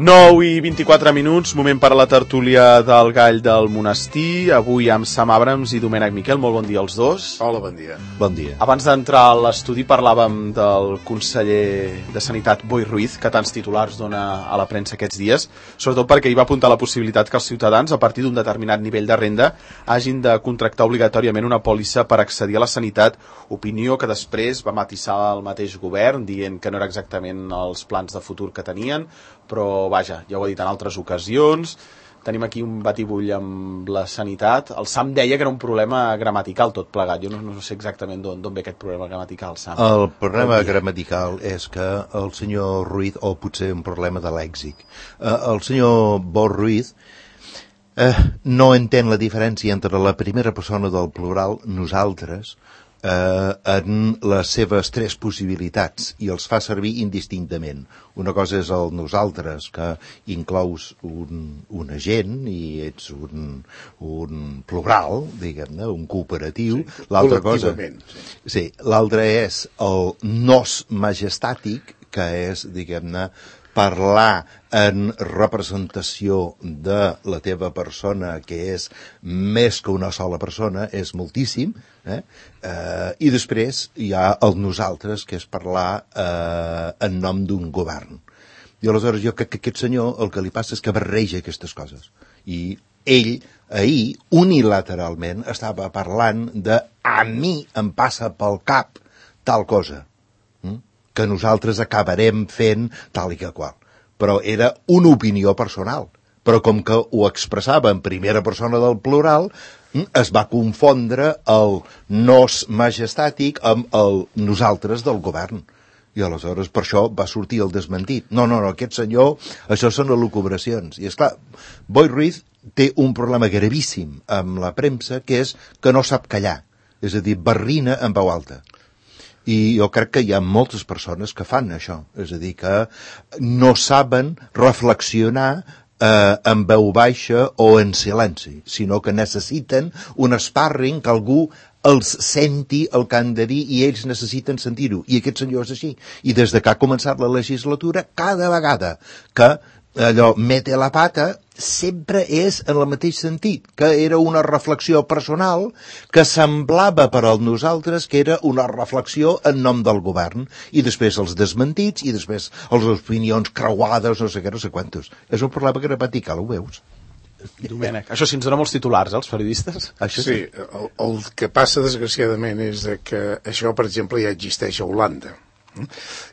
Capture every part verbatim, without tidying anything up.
nou i vint-i-quatre minuts, moment per a la tertúlia del Gall del Monestir, avui amb Sam Abrams i Domènec Miquel. Molt bon dia als dos. Hola, bon dia. Bon dia. Abans d'entrar a l'estudi parlàvem del conseller de Sanitat, Boi Ruiz, que tants titulars dona a la premsa aquests dies, sobretot perquè hi va apuntar la possibilitat que els ciutadans, a partir d'un determinat nivell de renda, hagin de contractar obligatòriament una pòlissa per accedir a la sanitat, opinió que després va matisar el mateix govern, dient que no era exactament els plans de futur que tenien, però vaja, ja ho he dit en altres ocasions. Tenim aquí un batibull amb la sanitat. El Sam deia que era un problema gramatical tot plegat. Jo no, no sé exactament d'on ve aquest problema gramatical, Sam. El problema gramatical és que el senyor Ruiz, o potser un problema de lèxic, eh, el senyor Boi Ruiz eh, no entén la diferència entre la primera persona del plural, nosaltres, Eh, en les seves tres possibilitats i els fa servir indistintament. Una cosa és el nosaltres, que inclous un, un agent i ets un, un plural, diguem-ne, un cooperatiu. Sí, l'altra cosa, sí. Sí, l'altre és el nos majestàtic, que és, diguem-ne, parlar en representació de la teva persona, que és més que una sola persona, és moltíssim, eh? Eh, i després hi ha el nosaltres, que és parlar eh, en nom d'un govern. I aleshores jo crec que aquest senyor el que li passa és que barreja aquestes coses. I ell, ahir, unilateralment, estava parlant de a mi em passa pel cap tal cosa, que nosaltres acabarem fent tal i que qual. Però era una opinió personal. Però com que ho expressava en primera persona del plural, es va confondre el nos majestàtic amb el nosaltres del govern. I aleshores per això va sortir el desmentit. No, no, no, aquest senyor, això són elucubracions. I esclar, Boi Ruiz té un problema gravíssim amb la premsa, que és que no sap callar. És a dir, barrina en veu alta. I jo crec que hi ha moltes persones que fan això, és a dir, que no saben reflexionar eh, en veu baixa o en silenci, sinó que necessiten un sparring que algú els senti el que han de dir i ells necessiten sentir-ho. I aquest senyor és així. I des de que ha començat la legislatura, cada vegada que allò mete la pata, sempre és en el mateix sentit, que era una reflexió personal que semblava per al nosaltres que era una reflexió en nom del govern, i després els desmentits, i després les opinions creuades, no sé què, no sé quantos. És un problema gramatical, ho veus? Domènec, això sí ens dona molts titulars, eh, els periodistes? Això sí, el, el que passa desgraciadament és que això, per exemple, ja existeix a Holanda.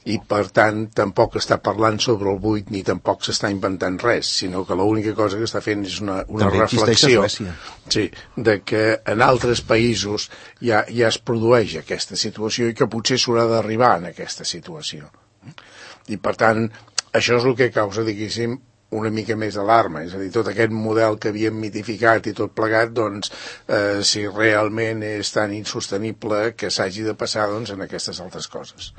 I per tant tampoc està parlant sobre el buit ni tampoc s'està inventant res, sinó que l'única cosa que està fent és una, una reflexió, sí, de que en altres països ja, ja es produeix aquesta situació i que potser s'haurà d'arribar en aquesta situació. I per tant això és el que causa, diguéssim, una mica més d'alarma, és a dir, tot aquest model que havíem mitificat i tot plegat, doncs, eh, si realment és tan insostenible que s'hagi de passar, doncs, en aquestes altres coses.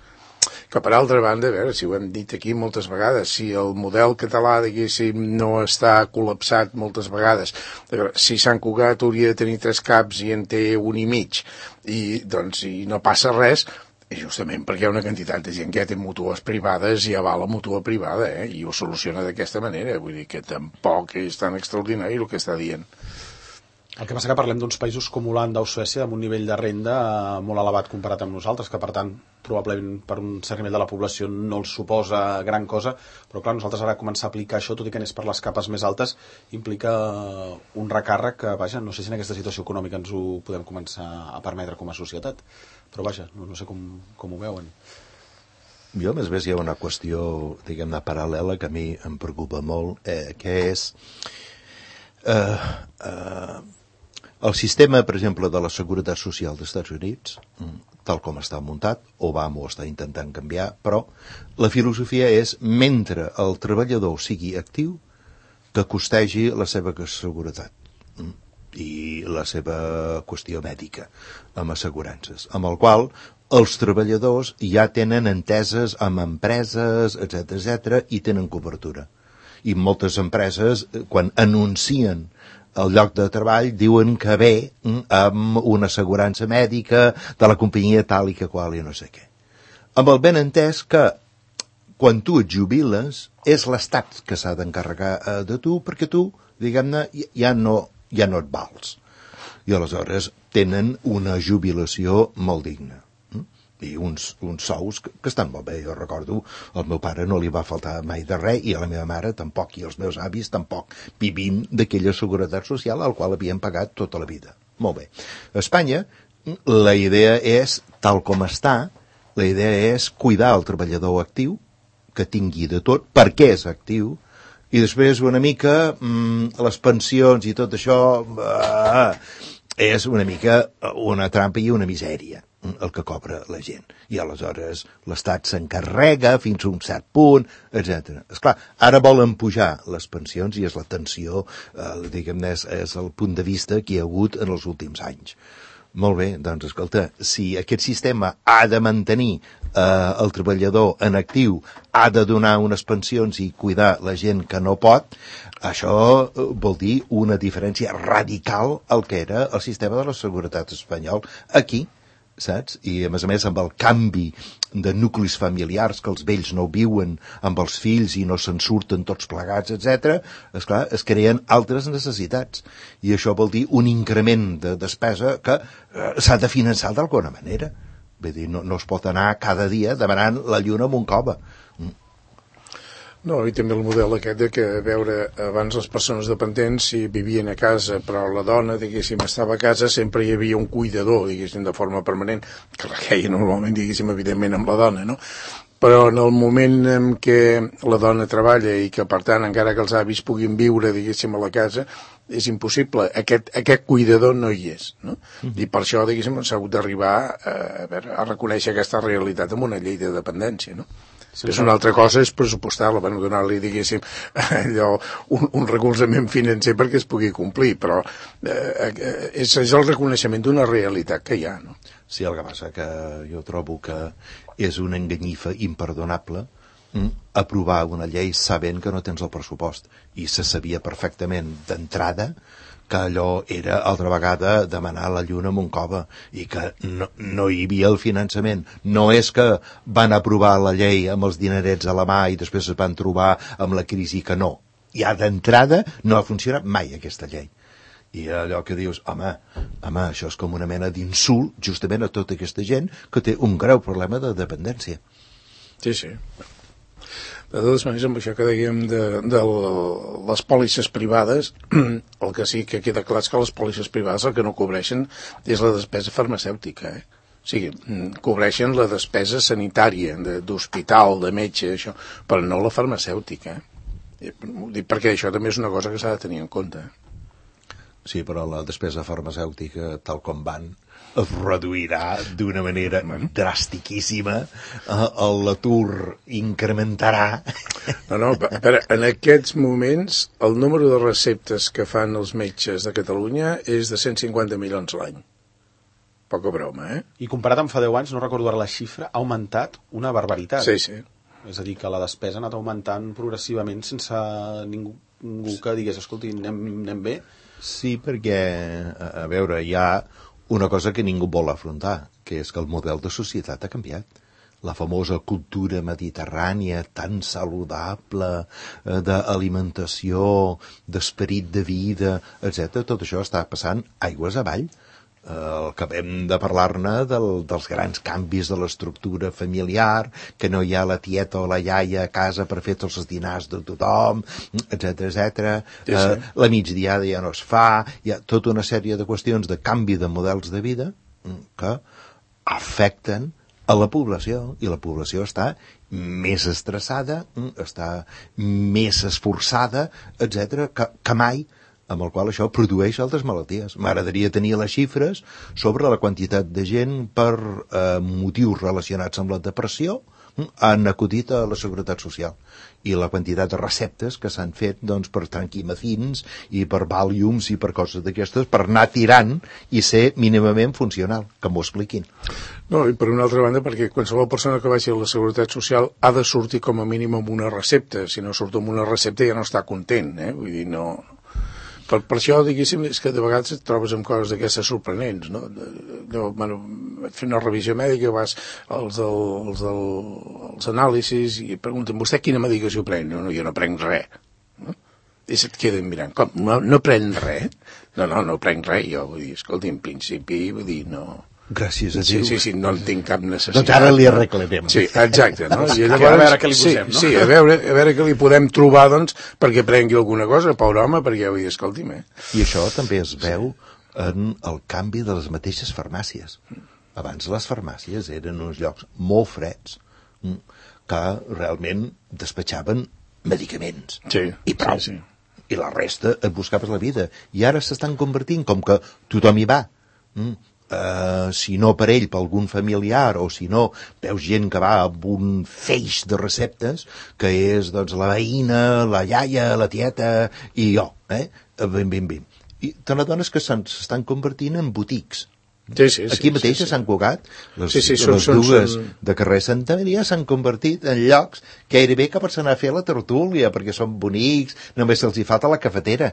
Que per altra banda, a veure, si ho hem dit aquí moltes vegades, si el model català, diguéssim, no està col·lapsat moltes vegades, a veure, si Sant Cugat hauria de tenir tres caps i en té un i mig, i doncs i no passa res, és justament perquè hi ha una quantitat de gent que ja té mútues privades i ja va a la mútua privada, eh? I ho soluciona d'aquesta manera, vull dir que tampoc és tan extraordinari el que està dient. El que passa que parlem d'uns països com Holanda o Suècia amb un nivell de renda molt elevat comparat amb nosaltres, que per tant probablement per un cert nivell de la població no els suposa gran cosa, però clar, nosaltres ara començar a aplicar això, tot i que anés per les capes més altes, implica un recàrrec que, vaja, no sé si en aquesta situació econòmica ens ho podem començar a permetre com a societat, però vaja, no, no sé com, com ho veuen. Jo, més bé, hi ha una qüestió, diguem-ne, paral·lela que a mi em preocupa molt, eh, que és eh, eh, el sistema, per exemple, de la Seguretat Social dels Estats Units, tal com està muntat, Obama ho està intentant canviar, però la filosofia és, mentre el treballador sigui actiu, que costegi la seva seguretat i la seva qüestió mèdica amb assegurances, amb el qual els treballadors ja tenen enteses amb empreses, etcètera, etcètera, i tenen cobertura. I moltes empreses, quan anuncien el lloc de treball, diuen que ve amb una assegurança mèdica de la companyia tal i que qual i no sé què. Amb el benentès que quan tu et jubiles, és l'Estat que s'ha d'encarregar eh, de tu, perquè tu, diguem-ne, ja no, ja no et vals. I aleshores tenen una jubilació molt digna. I uns, uns sous que, que estan molt bé. Jo recordo, al meu pare no li va faltar mai de res, i a la meva mare tampoc, i als meus avis tampoc, vivint d'aquella seguretat social al qual havien pagat tota la vida. Molt bé. A Espanya, la idea és, tal com està, la idea és cuidar el treballador actiu, que tingui de tot, perquè és actiu, i després una mica mmm, les pensions i tot això eh, és una mica una trampa i una misèria el que cobra la gent. I aleshores l'Estat s'encarrega fins a un cert punt, etcètera. Esclar, ara volen pujar les pensions i és la tensió, eh, diguem-ne, és, és el punt de vista que hi ha hagut en els últims anys. Molt bé, doncs escolta, si aquest sistema ha de mantenir eh, el treballador en actiu, ha de donar unes pensions i cuidar la gent que no pot, això vol dir una diferència radical al que era el sistema de la seguretat espanyol aquí, saps? I a més a més amb el canvi de nuclis familiars, que els vells no viuen amb els fills i no se'n surten tots plegats, etcètera, esclar, es creen altres necessitats. I això vol dir un increment de despesa que eh, s'ha de finançar d'alguna manera. Vull dir, no, no es pot anar cada dia demanant la lluna amb un cova. Mm. No, i també el model aquest de que, a veure, abans les persones dependents si vivien a casa, però la dona, diguéssim, estava a casa, sempre hi havia un cuidador, diguéssim, de forma permanent, que requeia normalment, diguéssim, evidentment amb la dona, no? Però en el moment en què la dona treballa i que, per tant, encara que els avis puguin viure, diguéssim, a la casa, és impossible. Aquest, aquest cuidador no hi és, no? Mm-hmm. I per això, diguéssim, s'ha hagut d'arribar a, a, veure, a reconèixer aquesta realitat amb una llei de dependència, no? Sí, és una altra cosa, és pressupostar-la, bueno, donar-li, diguéssim, allò, un, un recolzament financer perquè es pugui complir, però eh, és, és el reconeixement d'una realitat que hi ha, no? Sí, el que passa que jo trobo que és una enganyifa imperdonable mm, aprovar una llei sabent que no tens el pressupost, i se sabia perfectament d'entrada que allò era altra vegada demanar la lluna amb un cova i que no, no hi havia el finançament. No és que van aprovar la llei amb els dinerets a la mà i després es van trobar amb la crisi que no. Ja d'entrada no ha funcionat mai aquesta llei. I allò que dius, home, home, això és com una mena d'insult justament a tota aquesta gent que té un greu problema de dependència. Sí, sí. De totes maneres, amb això que dèiem de, de les pòlisses privades, el que sí que queda clar és que les pòlisses privades el que no cobreixen és la despesa farmacèutica, eh? O sigui, cobreixen la despesa sanitària, d'hospital, de metge, això, però no la farmacèutica. Eh? Dic perquè això també és una cosa que s'ha de tenir en compte. Sí, però la despesa farmacèutica, tal com van, es reduirà d'una manera dràstiquíssima, l'atur incrementarà. No, no, però en aquests moments el número de receptes que fan els metges de Catalunya és de cent cinquanta milions l'any. Poca broma, eh? I comparat amb fa deu anys, no recordo ara la xifra, ha augmentat una barbaritat. Sí, sí. És a dir, que la despesa ha anat augmentant progressivament sense ningú, ningú que digués, escolti, anem, anem bé. Sí, perquè, a veure, hi ha una cosa que ningú vol afrontar, que és que el model de societat ha canviat. La famosa cultura mediterrània tan saludable, eh, d'alimentació, d'esperit de vida, etcètera, tot això està passant aigües avall. Eh, el que hem de parlar-ne del, dels grans canvis de l'estructura familiar, que no hi ha la tieta o la iaia a casa per fer tots els dinars de tothom, etcètera, etcètera. Sí, sí. Eh, la migdiada ja no es fa, hi ha tota una sèrie de qüestions de canvi de models de vida que afecten a la població, i la població està més estressada, està més esforçada, etcètera, que, que mai, amb el qual això produeix altres malalties. M'agradaria tenir les xifres sobre la quantitat de gent per eh, motius relacionats amb la depressió han acudit a la Seguretat Social, i la quantitat de receptes que s'han fet doncs, per tranquimacins i per Valiums i per coses d'aquestes, per anar tirant i ser mínimament funcional, que m'ho expliquin. No, i per una altra banda, perquè qualsevol persona que vagi a la Seguretat Social ha de sortir com a mínim amb una recepta. Si no surt amb una recepta ja no està content, eh? Vull dir, no... Per, per això, diguéssim, és que de vegades et trobes amb coses d'aquestes sorprenents, no? No, bueno, fer una revisió mèdica, vas als, als, als anàlisis i pregunten, vostè quina medicació pren? No, no, jo no prenc res. No? I se't queden mirant, com, no, no prenc res? No, no, no prenc res, jo, vull dir, escolta, en principi, vull dir, no... Gràcies a Sí, Déu. sí, sí, no en tinc cap necessitat. Doncs ara li arreglarem. Sí, exacte, no? I llavors, a veure què li posem, sí, no? Sí, a veure, a veure què li podem trobar, doncs, perquè prengui alguna cosa, pobre home, perquè, vull dir, escolti'm, eh? I això també es veu en el canvi de les mateixes farmàcies. Abans les farmàcies eren uns llocs molt freds que realment despatxaven medicaments. Sí, I prou. sí, sí. I la resta et buscaves la vida. I ara s'estan convertint com que tothom hi va. Mm. Uh, si no per ell, per algun familiar, o si no, veus gent que va amb un feix de receptes, que és doncs, la veïna, la iaia, la tieta, i jo, eh? Ben, ben, ben. I te n'adones que s'estan convertint en botics. Sí, sí, Aquí sí, mateix sí, sí. s'han cugat les, Sí, sí, són- les són- dues són- de carrer Santa Maria s'han convertit en llocs gairebé que per anar a fer la tertúlia, perquè són bonics, només se'ls hi falta la cafetera.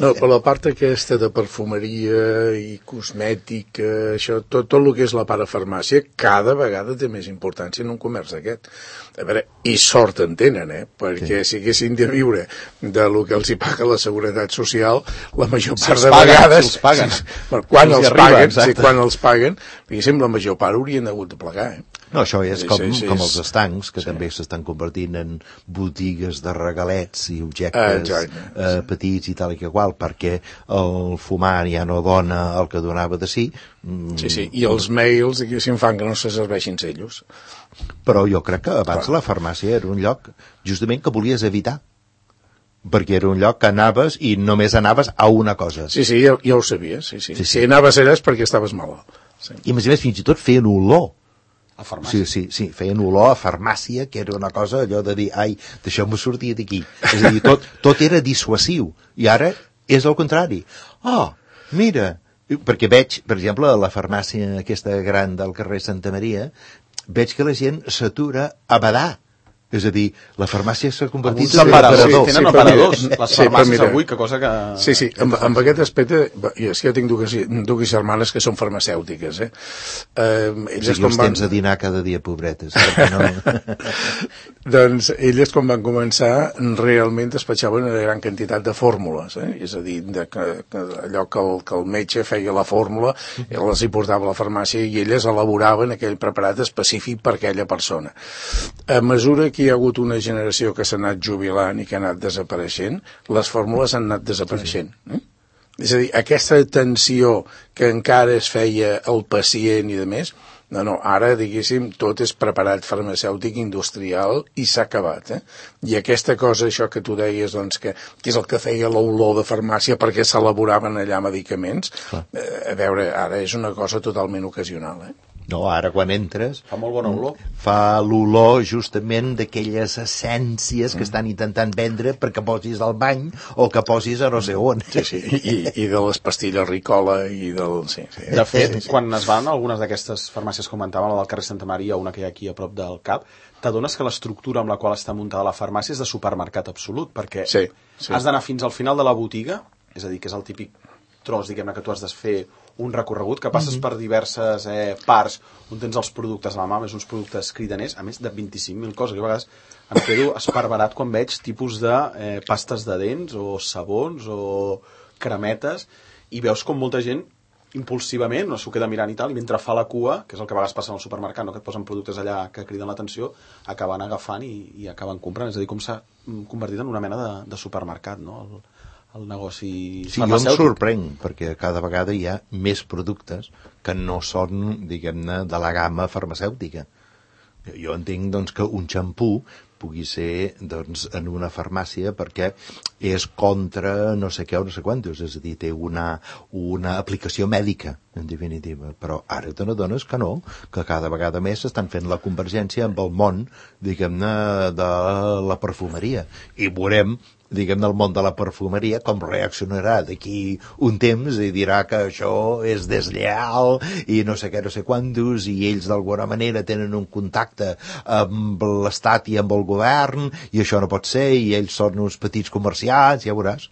No, però la part aquesta de perfumeria i cosmètica, això, tot, tot el que és la part de farmàcia, cada vegada té més importància en un comerç d'aquest. A veure, i sort en tenen, eh? Perquè sí. Si haguessin de viure de lo que els hi paga la Seguretat Social, la major Si part els de paguen, vegades... si els paguen. Bueno, quan Si els els hi arriba, paguen, exacte. sí, quan els paguen, diguéssim, la major part haurien hagut de plegar, eh? No, això és Sí, com, sí, sí, com és- els estancs, que sí. també s'estan convertint en botigues de regalets i Ah, objectes exacte, eh, petits i tal i que qual, perquè el fumar ja no dona el que donava de si. Mm, Sí, sí, i els mails, diguéssim, fan que no se serveixin ells. Però jo crec que abans Clar. la farmàcia era un lloc justament que volies evitar, perquè era un lloc que anaves i només anaves a una cosa. Sí, sí, ja, ja ho sabies, sí, sí. Sí, sí. Si anaves allà és perquè estaves malalt. Sí. I a més a més fins i tot feien olor. A farmàcia. Sí, sí, sí, feien olor a farmàcia, que era una cosa allò de dir, ai, deixeu-me sortir d'aquí. És a dir, tot, tot era dissuasiu. I ara és el contrari. Oh, mira, perquè veig, per exemple, a la farmàcia aquesta gran del carrer Santa Maria, veig que la gent s'atura a badar. És a dir, la farmàcia s'ha convertit Alguns aparadors, sí, sí, tenen sí, però aparadors, mira, les sí, però farmàcies mira. avui, que cosa que... Sí, sí, amb, amb aquest aspecte, i és que jo tinc dues, dues germanes que són farmacèutiques, eh? eh elles Sí, quan els van... tens a dinar cada dia, pobretes. perquè No... Doncs elles, quan van començar, realment despatxaven una gran quantitat de fórmules, eh? És a dir, de que, que allò que el, que el metge feia la fórmula, ell les hi portava a la farmàcia i elles elaboraven aquell preparat específic per aquella persona. A mesura que hi ha hagut una generació que s'ha anat jubilant i que ha anat desapareixent, les fórmules han anat desapareixent. Eh? És a dir, aquesta atenció que encara es feia al pacient i de més, no, no, ara, diguéssim, tot és preparat farmacèutic industrial i s'ha acabat, eh? I aquesta cosa, això que tu deies, doncs, que, que és el que feia l'olor de farmàcia perquè s'elaboraven allà medicaments, eh, a veure, ara és una cosa totalment ocasional, eh? No, ara quan entres... Fa molt bona olor. Fa l'olor justament d'aquelles essències que estan intentant vendre perquè posis al bany o que posis a no sé on. Sí, sí, i, i de les pastilles Ricola i del... Sí, sí. De fet, quan es van algunes d'aquestes farmàcies, comentàvem, la del carrer Santa Maria, una que hi ha aquí a prop del Cap, t'adones que l'estructura amb la qual està muntada la farmàcia és de supermercat absolut, perquè Sí, sí. has d'anar fins al final de la botiga, és a dir, que és el típic tros, diguem-ne, que tu has de fer un recorregut, que passes per diverses eh, parts on tens els productes a la mà, més uns productes cridaners, a més de vint-i-cinc mil coses. Jo a vegades em quedo esparverat quan veig tipus de eh, pastes de dents o sabons o cremetes i veus com molta gent impulsivament, no s'ho queda mirant i tal, i mentre fa la cua, que és el que a vegades passa en el supermercat, no? Que et posen productes allà que criden l'atenció, acaben agafant i, i acaben comprant. És a dir, com s'ha convertit en una mena de, de supermercat, no? El, el negoci Sí, jo em sorprenc, perquè cada vegada hi ha més productes que no són, diguem-ne, de la gamma farmacèutica. Jo entenc, doncs, que un xampú pugui ser, doncs, en una farmàcia perquè és contra no sé què o no sé quantos, és a dir, té una, una aplicació mèdica, en definitiva. Però ara te n'adones que no, que cada vegada més s'estan fent la convergència amb el món, diguem-ne, de la perfumeria. I veurem, diguem-ne, el món de la perfumeria, com reaccionarà d'aquí un temps i dirà que això és deslleal i no sé què, no sé quantos, i ells d'alguna manera tenen un contacte amb l'Estat i amb el govern, i això no pot ser, i ells són uns petits comerciants, ja veuràs.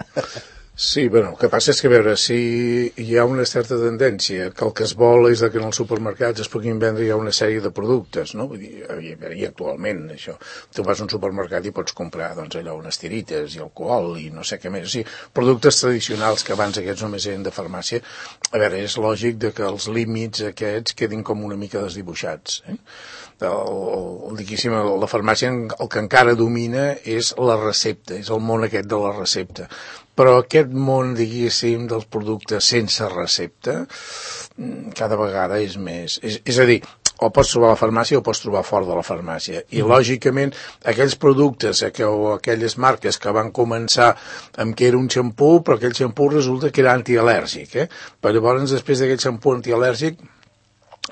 Sí, bueno, el que passa és que, a veure, si hi ha una certa tendència que el que es vol és que en els supermercats es puguin vendre ja una sèrie de productes, no? Vull dir, i, i actualment, això, tu vas a un supermercat i pots comprar, doncs, allò, unes tirites i alcohol i no sé què més. O sigui, productes tradicionals que abans aquests només eren de farmàcia, a veure, és lògic de que els límits aquests quedin com una mica desdibuixats, eh? El, el, diguéssim, la farmàcia el que encara domina és la recepta, és el món aquest de la recepta. Però aquest món, diguéssim, dels productes sense recepta, cada vegada és més... És, és a dir, o pots trobar a la farmàcia o pots trobar fora de la farmàcia. I, mm. lògicament, aquells productes o aquelles marques que van començar amb que era un xampú, però aquell xampú resulta que era antial·lèrgic, eh? Però llavors, després d'aquell xampú antial·lèrgic,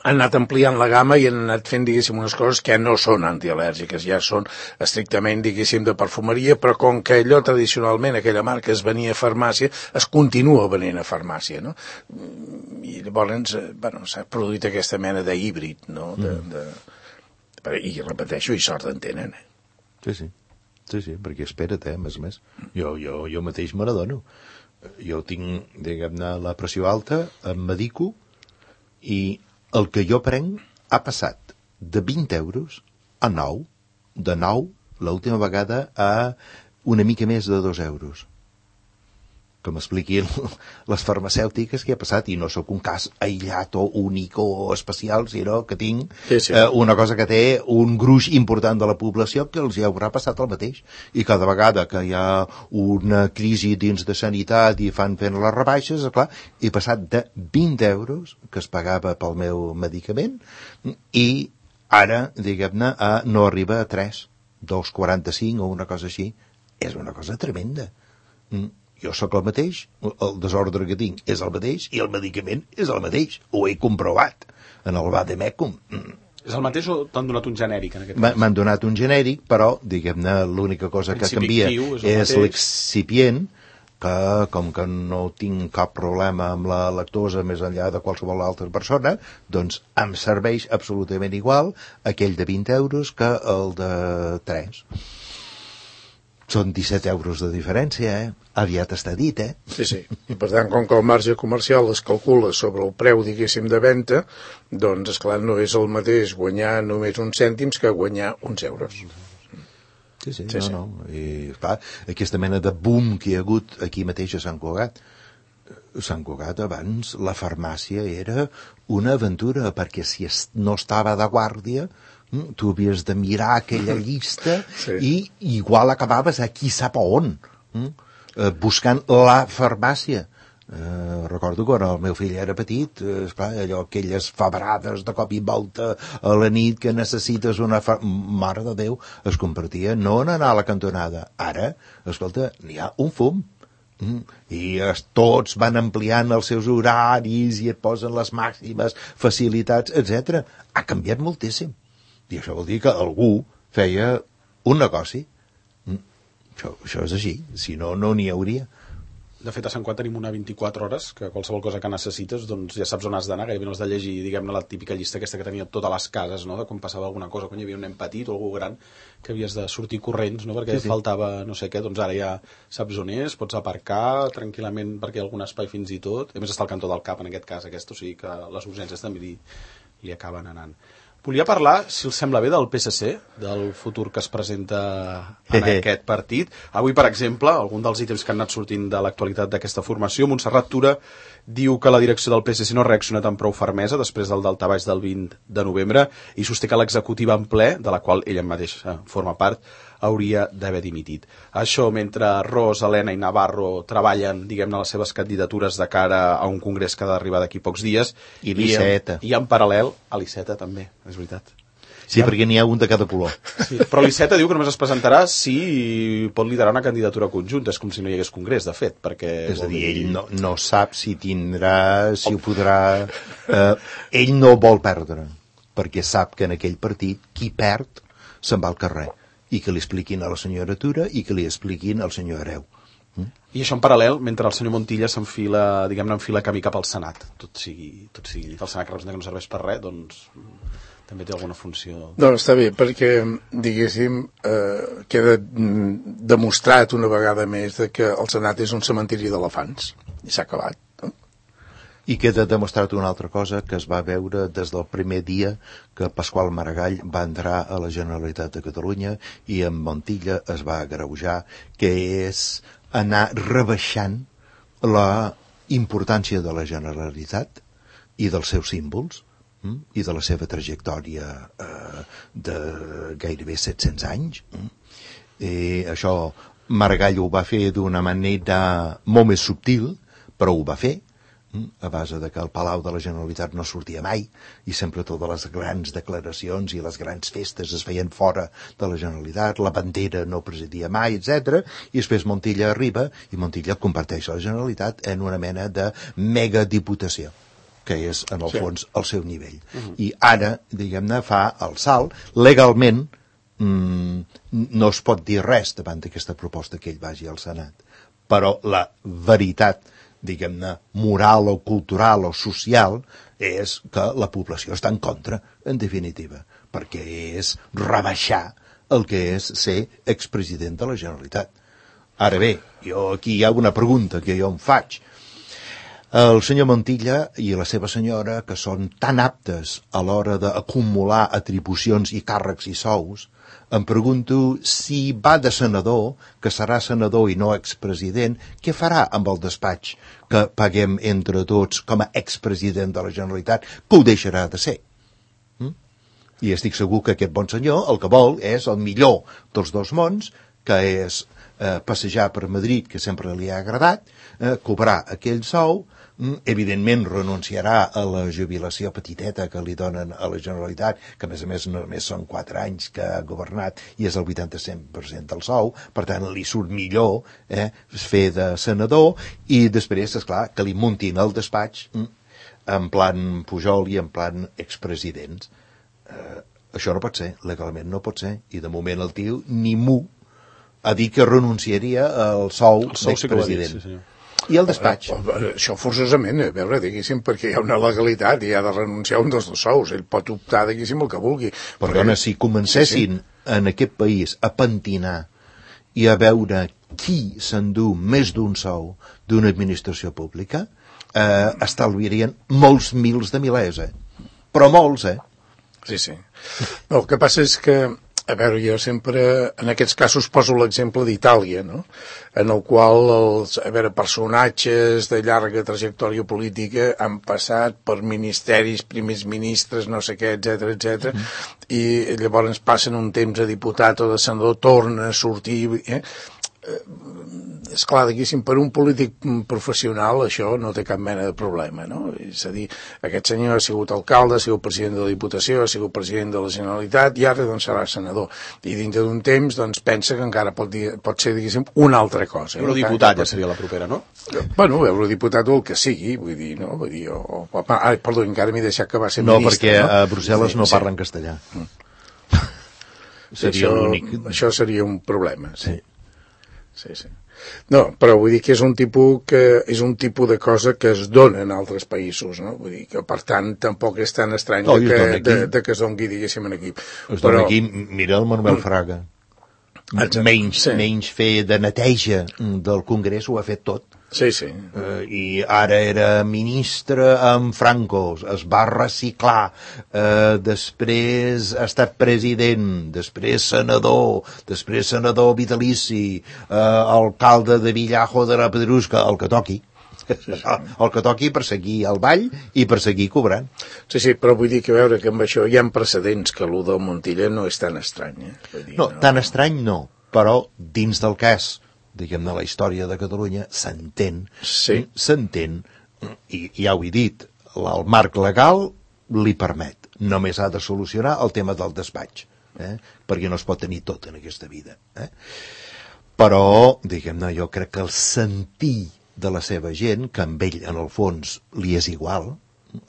han anat ampliant la gamma i han anat fent, diguéssim, unes coses que no són antial·lèrgiques, ja són estrictament, diguéssim, de perfumeria, però com que allò tradicionalment, aquella marca es venia a farmàcia, es continua venent a farmàcia, no? I llavors, bueno, s'ha produït aquesta mena d'híbrid, no? De, de... I repeteixo, i sort en tenen, eh? Sí, sí, sí, sí, perquè espera't, eh, més a més. Jo, jo, jo mateix me n'adono. Jo tinc, diguem-ne, la pressió alta, em medico, i el que jo prenc ha passat de vint euros a nou, de nou, l'última vegada, a una mica més de dos euros. Que m'expliquin les farmacèutiques què ha passat, i no sóc un cas aïllat o únic o especial, sinó que tinc sí, sí. Eh, una cosa que té un gruix important de la població que els hi haurà passat el mateix. I cada vegada que hi ha una crisi dins de sanitat i fan fent les rebaixes, clar, he passat de vint euros que es pagava pel meu medicament i ara, diguem-ne, a, no arriba a tres, dos coma quaranta-cinc o una cosa així. És una cosa tremenda. Mm. Jo sóc el mateix, el desordre que tinc és el mateix i el medicament és el mateix. Ho he comprovat en el Vademecum. Mm. És el mateix o t'han donat un genèric en aquest cas? M'han donat un genèric, però, diguem-ne, l'única cosa que canvia és l'excipient, que com que no tinc cap problema amb la lactosa més enllà de qualsevol altra persona, doncs em serveix absolutament igual aquell de vint euros que el de tres. Són disset euros de diferència, eh? Aviat està dit, eh? Sí, sí. I per tant, com que el marge comercial es calcula sobre el preu, diguéssim, de venda, doncs, esclar, no és el mateix guanyar només uns cèntims que guanyar uns euros. Sí, sí, sí no, sí. no. I, clar, aquesta mena de boom que hi ha hagut aquí mateix a Sant Cugat. Sant Cugat, abans, la farmàcia era una aventura, perquè si no estava de guàrdia, tu havies de mirar aquella llista sí. i igual acabaves aquí sap on, eh, buscant la farmàcia. Eh, recordo quan el meu fill era petit, eh, esclar, allò, aquelles febrades de cop i volta a la nit que necessites una fa... mare de Déu, es convertia no en anar a la cantonada. Ara, escolta, n'hi ha un fum. Mm. I es, tots van ampliant els seus horaris i et posen les màximes facilitats, etcètera. Ha canviat moltíssim. I això vol dir que algú feia un negoci. Mm. Això, això és així, si no, no n'hi hauria. De fet, a Sant Cugat tenim una vint-i-quatre hores, que qualsevol cosa que necessites, doncs ja saps on has d'anar, gairebé no has de llegir, diguem-ne, la típica llista aquesta que tenia totes les cases, no?, de quan passava alguna cosa, quan hi havia un nen petit o algú gran, que havies de sortir corrents, no?, perquè sí, sí. faltava no sé què, doncs ara ja saps on és, pots aparcar tranquil·lament perquè hi ha algun espai fins i tot, a més està al cantó del cap en aquest cas, aquest, o sigui que les urgències també li, li acaben anant. Volia parlar, si els sembla bé, del P S C, del futur que es presenta en aquest partit. Avui, per exemple, algun dels ítems que han anat sortint de l'actualitat d'aquesta formació, Montserrat Tura diu que la direcció del P S C no ha reaccionat amb prou fermesa després del daltabaix del vint de novembre i sosté que l'executiva en ple, de la qual ella mateixa forma part, hauria d'haver dimitit. Això mentre Ros, Helena i Navarro treballen, diguem-ne, les seves candidatures de cara a un congrés que ha d'arribar d'aquí pocs dies. I l'Iceta. I en paral·lel a l'Iceta també, és veritat. Sí, perquè n'hi ha un de cada color. Sí, però l'Iceta diu que només es presentarà si pot liderar una candidatura conjunta. És com si no hi hagués congrés, de fet, perquè... És a dir, ell no, no sap si tindrà, si ho podrà... Eh, ell no vol perdre, perquè sap que en aquell partit qui perd se'n va al carrer. I que li expliquin a la senyora Tura i que li expliquin al senyor Hereu. Mm? I això en paral·lel, mentre el senyor Montilla s'enfila, diguem-ne, enfila camí cap al Senat. Tot sigui, tot sigui dit. El Senat que representa que no serveix per res, doncs també té alguna funció. Doncs està bé, perquè, diguéssim, eh, queda demostrat una vegada més de que el Senat és un cementiri d'elefants, i s'ha acabat. I queda demostrat una altra cosa que es va veure des del primer dia que Pasqual Maragall va entrar a la Generalitat de Catalunya i en Montilla es va agreujar, que és anar rebaixant la importància de la Generalitat i dels seus símbols mm, i de la seva trajectòria eh, de gairebé set-cents anys. Mm. I això Maragall ho va fer d'una manera molt més subtil, però ho va fer, a base de que el Palau de la Generalitat no sortia mai i sempre totes les grans declaracions i les grans festes es feien fora de la Generalitat, la bandera no presidia mai, etcètera. I després Montilla arriba i Montilla converteix la Generalitat en una mena de megadiputació, que és, en el sí. fons, el seu nivell. Uh-huh. I ara, diguem-ne, fa el salt. Legalment mmm, no es pot dir res davant d'aquesta proposta que ell vagi al Senat, però la veritat diguem-ne, moral o cultural o social, és que la població està en contra, en definitiva, perquè és rebaixar el que és ser expresident de la Generalitat. Ara bé, jo aquí hi ha una pregunta que jo em faig. El senyor Montilla i la seva senyora, que són tan aptes a l'hora d'acumular atribucions i càrrecs i sous, em pregunto si va de senador, que serà senador i no expresident, què farà amb el despatx que paguem entre tots com a expresident de la Generalitat, que ho deixarà de ser? Mm? I estic segur que aquest bon senyor el que vol és el millor dels dos mons, que és eh, passejar per Madrid, que sempre li ha agradat, eh, cobrar aquell sou, evidentment renunciarà a la jubilació petiteta que li donen a la Generalitat, que a més a més només són quatre anys que ha governat i és el vuitanta-cinc per cent del sou, per tant li surt millor eh, fer de senador, i després, esclar, que li muntin el despatx en plan Pujol i en plan expresidents. Eh, això no pot ser, legalment no pot ser, i de moment el tio ni mu ha dit que renunciaria al sou, el sou d'expresident. Sí, senyor. I el despatx. Això forçosament, a veure, diguéssim, perquè hi ha una legalitat i ha de renunciar a un dels dos sous. Ell pot optar, diguéssim, el que vulgui. Perdona, si comencessin sí, sí. en aquest país a pentinar i a veure qui s'endú més d'un sou d'una administració pública, eh, estalviarien molts mils de milers, eh? Però molts, eh? Sí, sí. No, el que passa és que a veure, jo sempre, en aquests casos, poso l'exemple d'Itàlia, no? En el qual els, a veure, personatges de llarga trajectòria política han passat per ministeris, primers ministres, no sé què, etcètera, etcètera, mm. i llavors passen un temps a diputat o de senador, torna a sortir... Eh? És clar, diguéssim, per un polític professional això no té cap mena de problema, no? És a dir, aquest senyor ha sigut alcalde, ha sigut president de la Diputació, ha sigut president de la Generalitat i ara doncs serà senador. I dintre d'un temps doncs pensa que encara pot, dir, pot ser, diguéssim, una altra cosa. Eurodiputat ja seria la propera, no? Bueno, eurodiputat o el que sigui, vull dir, no? Vull dir, o, o, ai, perdó, encara m'he deixat que va ser no, ministre, no? No, perquè a Brussel·les sí, no sí. parlen castellà. Mm. Seria això, l'únic... Això seria un problema, sí. Sí. Sí, sí. No, però vull dir que és un tipus que és un tipus de cosa que es dona en altres països, no? Vull dir que per tant tampoc és tan estrany no, de, que, de, de que es doni, diguéssim, en aquí. Es dona aquí, mira el Manuel Fraga. Exacte, menys, sí. menys fer de neteja del Congrés ho ha fet tot. Sí, sí. Uh, I ara era ministre amb Franco, es va reciclar, uh, després ha estat president, després senador, després senador vitalici, uh, alcalde de Villajo de la Pedrusca, el que toqui. Sí, sí. El que toqui per seguir al ball i per seguir cobrant. Sí, sí, però vull dir que veure que amb això hi ha precedents, que l'U del Montilla no és tan estrany. Eh? Vull dir, no, no, tan estrany no, però dins del cas, diguem-ne, la història de Catalunya s'entén, sí. s'entén, i ja ho he dit, el marc legal li permet, només ha de solucionar el tema del despatx, eh? perquè no es pot tenir tot en aquesta vida. Eh? Però, diguem-ne, jo crec que el sentir de la seva gent, que amb ell, en el fons, li és igual,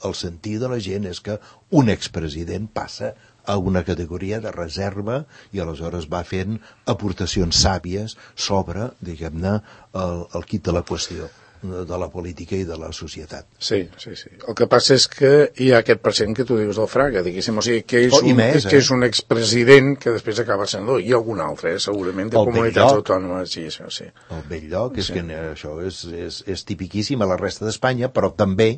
el sentir de la gent és que un expresident passa a una categoria de reserva i aleshores va fent aportacions sàvies sobre, diguem-ne, el, el quid de la qüestió. de la política i de la societat. Sí, sí, sí. El que passa és que hi ha aquest present que tu dius del Fraga, diguéssim, o sigui, que és, oh, un, més, que eh? és un expresident que després acaba senador, i algun altre, eh, segurament, de el comunitats autònomes, sí, això, sí. El Belllloc, és sí. que això és, és, és tipiquíssim a la resta d'Espanya, però també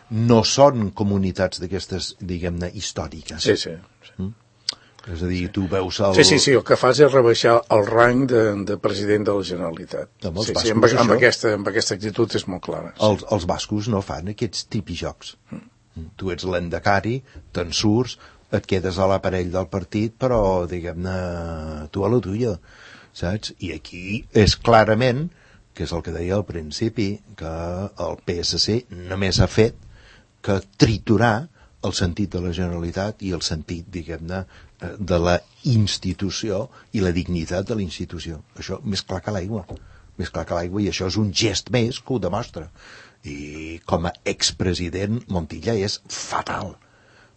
no són comunitats d'aquestes, diguem-ne, històriques. Sí, sí. sí. Mm? És a dir, tu veus el... Sí, sí, sí, el que fas és rebaixar el rang de, de president de la Generalitat. Amb els sí, bascos, sí, amb, amb, això... aquesta, amb aquesta actitud és molt clara. Sí. Els, els bascos no fan aquests tipijocs. Mm. Tu ets l'endecari, te'n surts, et quedes a l'aparell del partit, però, diguem-ne, tu a la tuya, saps? I aquí és clarament, que és el que deia al principi, que el P S C només ha fet que triturar el sentit de la Generalitat i el sentit, diguem-ne, de la institució i la dignitat de la institució. Això més clar que l'aigua. Més clar que l'aigua, i això és un gest més que ho demostra. I com a expresident, Montilla és fatal,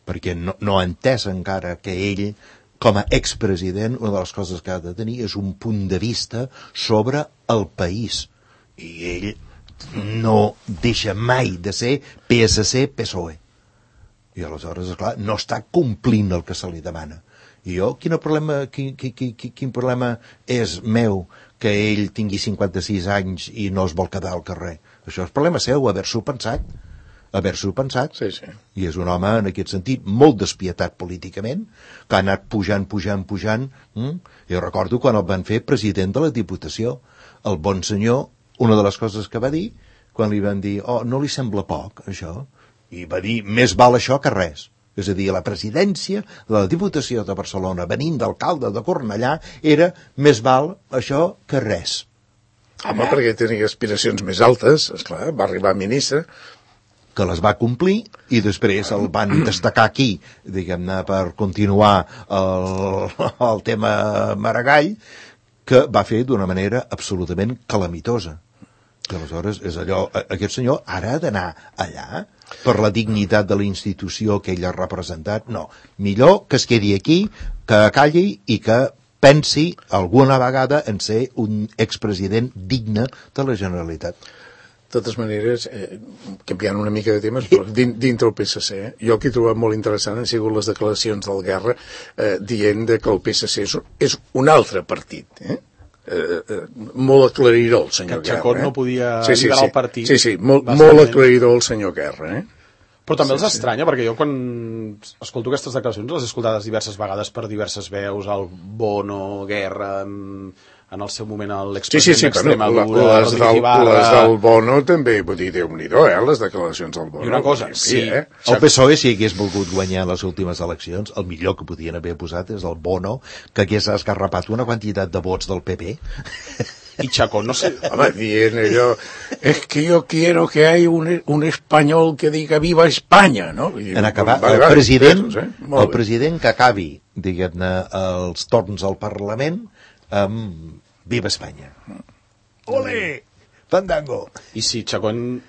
perquè no, no ha entès encara que ell, com a expresident, una de les coses que ha de tenir és un punt de vista sobre el país. I ell no deixa mai de ser P S C-P S O E. I aleshores, esclar, no està complint el que se li demana. I jo, quin problema, quin, quin, quin problema és meu que ell tingui cinquanta-sis anys i no es vol quedar al carrer? Això és problema seu, haver-s'ho pensat. Haver-s'ho pensat. Sí, sí. I és un home, en aquest sentit, molt despietat políticament, que ha anat pujant, pujant, pujant. Mm? Jo recordo quan el van fer president de la Diputació. El bon senyor, una de les coses que va dir, quan li van dir, oh, no li sembla poc, això? I va dir, més val això que res. És a dir, la presidència de la Diputació de Barcelona, venint d'alcalde de Cornellà, era més val això que res. Home, perquè tenia aspiracions més altes, esclar, va arribar a ministre. Que les va complir, i després el van destacar aquí, diguem-ne, per continuar el, el tema Maragall, que va fer d'una manera absolutament calamitosa. I aleshores és allò, aquest senyor ara ha d'anar allà per la dignitat de la institució que ell ha representat. No, millor que es quedi aquí, que calli i que pensi alguna vegada en ser un expresident digne de la Generalitat. De totes maneres, eh, canviant una mica de temes, però dintre el P S C, eh, jo el que he trobat molt interessant han sigut les declaracions del Guerra eh, dient de que el P S C és, és un altre partit, eh? Eh, eh, molt aclaridor el senyor que Guerra. Chacón eh? no podia sí, sí, liderar sí. el partit. Sí, sí, molt, molt aclaridor el senyor Guerra. Eh? Però també sí, els estranya, sí. Perquè jo quan escolto aquestes declaracions les he escoltades diverses vegades per diverses veus, el Bono, Guerra, en, en el seu moment l'expresident sí, sí, sí, d'Extremadura, bueno, les, del, Ibarra... les del Bono també, vull dir, Déu-n'hi-do, eh, les declaracions del Bono. I una cosa, sí. Eh? El P S O E, si hagués volgut guanyar les últimes eleccions, el millor que podien haver posat és el Bono, que hagués esgarrapat una quantitat de vots del P P. I Chacón, no sé... Home, dient allò, es que yo quiero que hay un, un español que diga viva España, no? I, en acabar, vale, el, vale, president, pesos, eh? el president que acabi, diguem-ne, els torns al Parlament amb Viva Espanya. Olé! Fandango! I si Chacón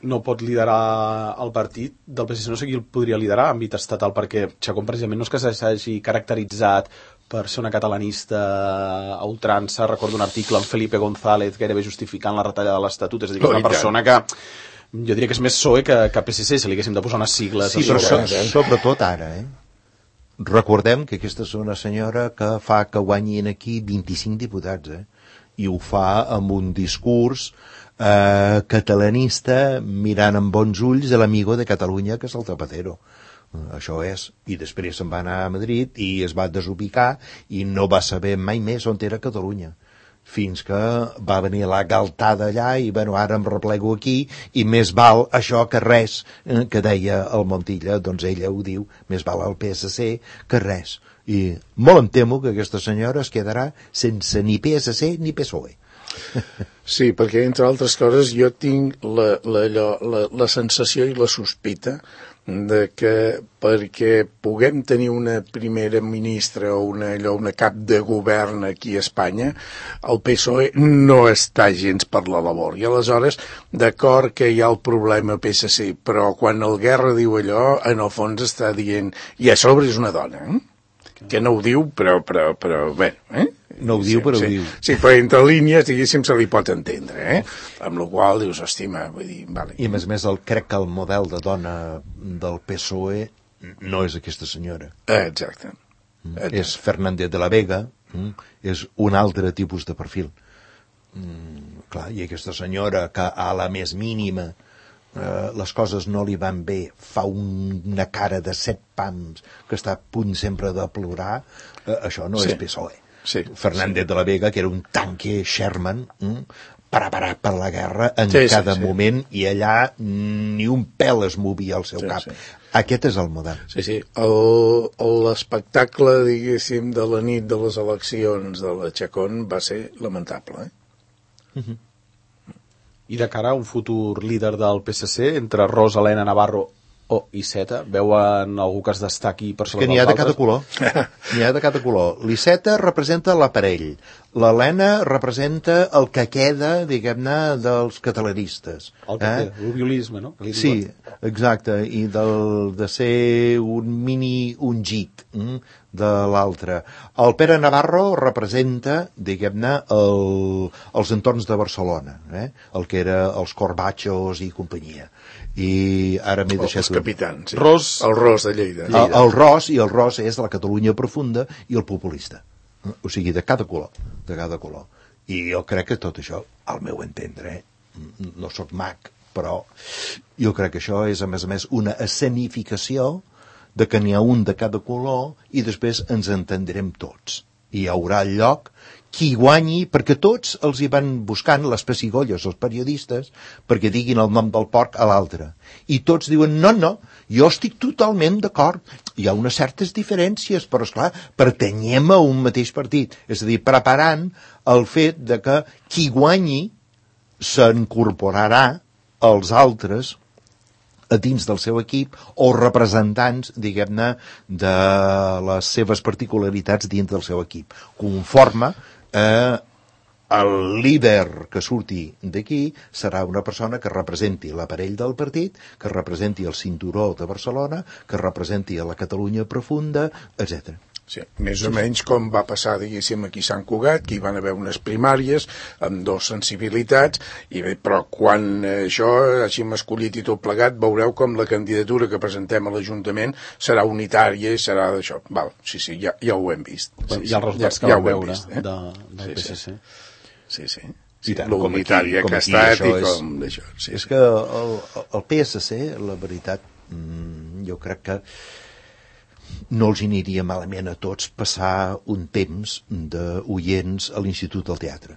no pot liderar el partit del P S C, no sé qui el podria liderar a àmbit estatal, perquè Chacón precisament no és que s'hagi caracteritzat per ser una catalanista a ultrança. Recordo un article amb Felipe González gairebé justificant la retallada de l'Estatut, és a dir, que és una persona que jo diria que és més P S O E que, que P S C, si li haguéssim de posar unes sigles. Sí, però so, sobretot ara, eh? Recordem que aquesta és una senyora que fa que guanyin aquí vint-i-cinc diputats, eh? I ho fa amb un discurs eh, catalanista mirant amb bons ulls de l'amigo de Catalunya, que és el Zapatero. Això és. I després se'n va anar a Madrid i es va desubicar i no va saber mai més on era Catalunya. Fins que va venir la galtada allà i, bueno, ara em replego aquí i més val això que res, eh, que deia el Montilla, doncs ella ho diu, més val el P S C que res. I molt em temo que aquesta senyora es quedarà sense ni P S C ni P S O E. Sí, perquè, entre altres coses, jo tinc la, la, la, la sensació i la sospita de que perquè puguem tenir una primera ministra o una, allò, una cap de govern aquí a Espanya, el P S O E no està gens per la labor. I aleshores, d'acord que hi ha el problema P S C, però quan el Guerra diu allò, en el fons està dient, i a sobre és una dona, eh? Que no ho diu, però, però, però bé, eh? No ho diu, però sí, ho diu. Sí, però entre línies, diguéssim, se li pot entendre, eh? Amb la qual dius, estima, vull dir, vale. I a més a més, el, crec que el model de dona del P S O E no és aquesta senyora. Exacte. Exacte. És Fernández de la Vega, mm? és un altre tipus de perfil. Mm, clar, i aquesta senyora que a la més mínima eh, les coses no li van bé, fa un, una cara de set pams que està a punt sempre de plorar, eh, això no Sí. és P S O E. Sí. Fernández de la Vega, que era un tanque Sherman, mm? preparat per la guerra en Sí, sí, cada sí. moment, i allà ni un pèl es movia al seu Sí, cap. sí. Aquest és el model. Sí, sí. El- L'espectacle, diguéssim, de la nit de les eleccions de la Chacón va ser lamentable, eh? I de cara a un futur líder del P S C, entre Ros, Helena, Navarro o Iceta, veuen algú que es destaqui per sobre Que n'hi dels ha de cada altres? color. N'hi ha de cada color. L'Iceta representa l'aparell. L'Helena representa el que queda, diguem-ne, dels catalanistes. El que eh? té, l'obiolisme, no? Que li Sí, diuen. exacte, i del, de ser un mini ungit mm, de l'altre. El Pere Navarro representa, diguem-ne, el, els entorns de Barcelona, eh? el que era els Corbachos i companyia. I ara m'he deixat... Els capitans. Sí. Ros. El Ros de Lleida. El, el Ros, i el Ros és la Catalunya profunda i el populista. O sigui, de cada color, de cada color. I jo crec que tot això, al meu entendre, eh, no sóc mag, però jo crec que això és, a més a més, una escenificació de que n'hi ha un de cada color i després ens entendrem tots. I hi haurà lloc qui guanyi, perquè tots els hi van buscant les pessigolles, els periodistes, perquè diguin el nom del porc a l'altre. I tots diuen, no, no, jo estic totalment d'acord. Hi ha unes certes diferències, però, esclar, pertanyem a un mateix partit. És a dir, preparant el fet de que qui guanyi s'incorporarà als altres a dins del seu equip o representants, diguem-ne, de les seves particularitats dins del seu equip. Conforme eh, el líder que surti d'aquí serà una persona que representi l'aparell del partit, que representi el cinturó de Barcelona, que representi a la Catalunya profunda, etcètera. Sí, més o menys com va passar, diguéssim, aquí a Sant Cugat, que hi van haver unes primàries amb dos sensibilitats, i bé, però quan eh, això hàgim escollit i tot plegat, veureu com la candidatura que presentem a l'Ajuntament serà unitària i serà d'això. Val, sí, sí, ja, ja ho hem vist. Bueno, Sí, hi ha els resultats ja, que ja vau ho hem veure vist, eh? de, del Sí, P S C. Sí, sí. I Sí, tant, lo com aquí, unitària com que ha aquí, estat això i és- com d'això. Sí, És sí. que el, el P S C, la veritat, mm, jo crec que no els aniria malament a tots passar un temps d'oients a l'Institut del Teatre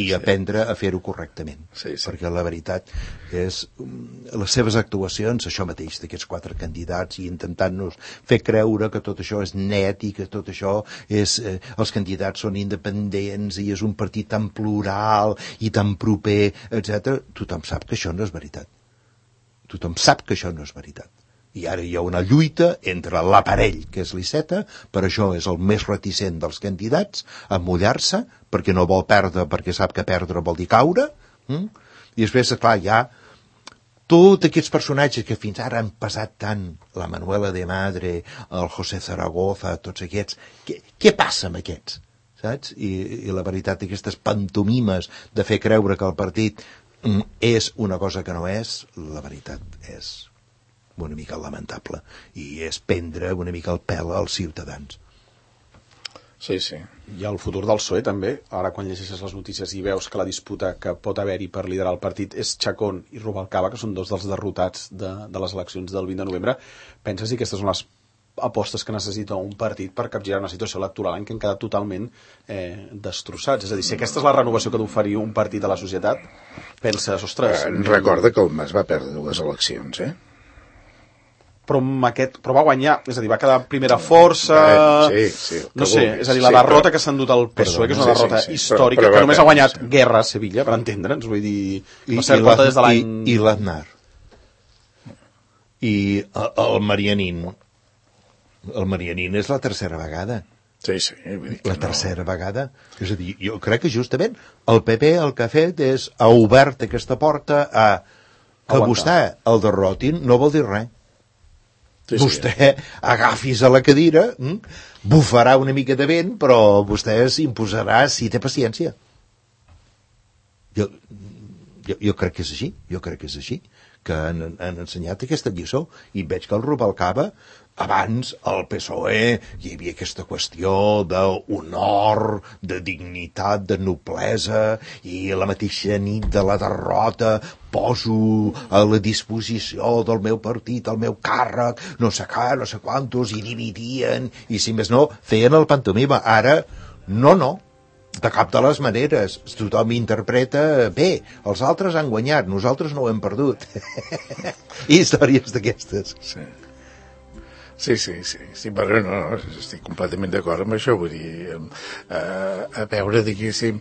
i aprendre a fer-ho correctament. Sí, sí. Perquè la veritat és mm, les seves actuacions, això mateix d'aquests quatre candidats, i intentant-nos fer creure que tot això és net i que tot això és, eh, els candidats són independents i és un partit tan plural i tan proper, etcètera. Tothom sap que això no és veritat. Tothom sap que això no és veritat. I ara hi ha una lluita entre l'aparell, que és l'Iceta, per això és el més reticent dels candidats, a mullar-se, perquè no vol perdre, perquè sap que perdre vol dir caure, mm? I després, clar, hi ha tots aquests personatges que fins ara han passat tant, la Manuela de Madre, el José Zaragoza, tots aquests, què, què passa amb aquests? Saps? I, i la veritat, aquestes pantomimes de fer creure que el partit mm, és una cosa que no és, la veritat és una mica lamentable, i és prendre una mica el pèl als ciutadans. Sí, sí. I el futur del P S O E també, ara quan llegeixes les notícies i veus que la disputa que pot haver-hi per liderar el partit és Chacón i Rubalcaba, que són dos dels derrotats de, de les eleccions del vint de novembre, penses si aquestes són les apostes que necessita un partit per capgirar una situació electoral en què han quedat totalment eh, destrossats? És a dir, si aquesta és la renovació que ha d'oferir un partit a la societat, penses, ostres... Eh, recorda que el Mas va perdre dues eleccions, eh? Però, amb aquest, però va guanyar, és a dir, va quedar primera força... Eh, sí, sí, no sé, vulguis. és a dir, la Sí, derrota però- que s'ha endut el P S O E, que és una Sí, sí, derrota sí, històrica, però- però que va només ha perdre, guanyat sí. Guerra a Sevilla, per entendre'ns, vull dir... I, Va ser i, derrota la, des de l'any... i, i l'Aznar. I el, el Marianín. El Marianín és la tercera vegada. Sí, sí. Vull dir que La no. tercera vegada. És a dir, jo crec que justament el P P el que ha fet és ha obert aquesta porta a que Aguantar. vostè el derrotin no vol dir res. Sí, sí. Vostè agafis a la cadira, hm? bufarà una mica de vent, però vostè s'imposarà si té paciència. Jo, jo, jo crec que és així, jo crec que és així, que han, han ensenyat aquesta lliçó, i veig que el Rubalcaba, abans al P S O E hi havia aquesta qüestió d'honor, de dignitat, de noblesa, i la mateixa nit de la derrota poso a la disposició del meu partit, el meu càrrec, no sé què, no sé quantos, i dividien, i si més no, feien el pantomima. Ara, no, no, de cap de les maneres, tothom interpreta bé, els altres han guanyat, nosaltres no ho hem perdut. Històries d'aquestes. Sí. Sí, sí, sí, sí, però no, no, estic completament d'acord amb això, vull dir, eh, a veure, diguéssim,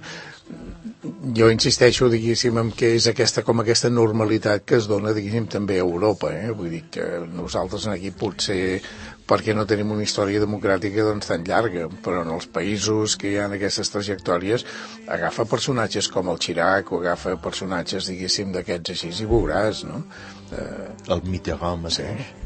jo insisteixo, diguéssim, en què és aquesta, com aquesta normalitat que es dona, diguéssim, també a Europa, eh? Vull dir que nosaltres aquí potser, perquè no tenim una història democràtica doncs tan llarga, però en els països que hi ha aquestes trajectòries, agafa personatges com el Chirac, o agafa personatges, diguéssim, d'aquests així, i veuràs, no? Eh, el Mitterrand mateix. Sí.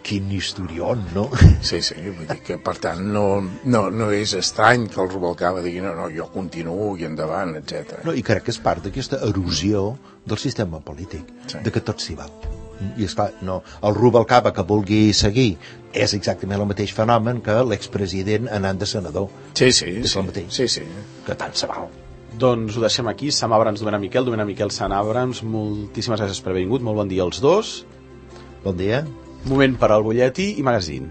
Quin historión, no? Sí, sí, vull dir que, per tant, no, no, no és estrany que el Rubalcaba digui no, no, jo continuo i endavant, etcètera. No, i crec que és part d'aquesta erosió del sistema polític, sí. De que tot s'hi val. I esclar, no, el Rubalcaba que vulgui seguir és exactament el mateix fenomen que l'expresident anant de senador. Sí, sí, és sí, el mateix. Sí, sí. Que tant se val. Doncs ho deixem aquí. Sam Abrams, Domènec Miquel, Domènec Miquel, Sam Abrams, moltíssimes gràcies per haver vingut, molt bon dia als dos. Bon dia. Moment per al butlletí i magazine.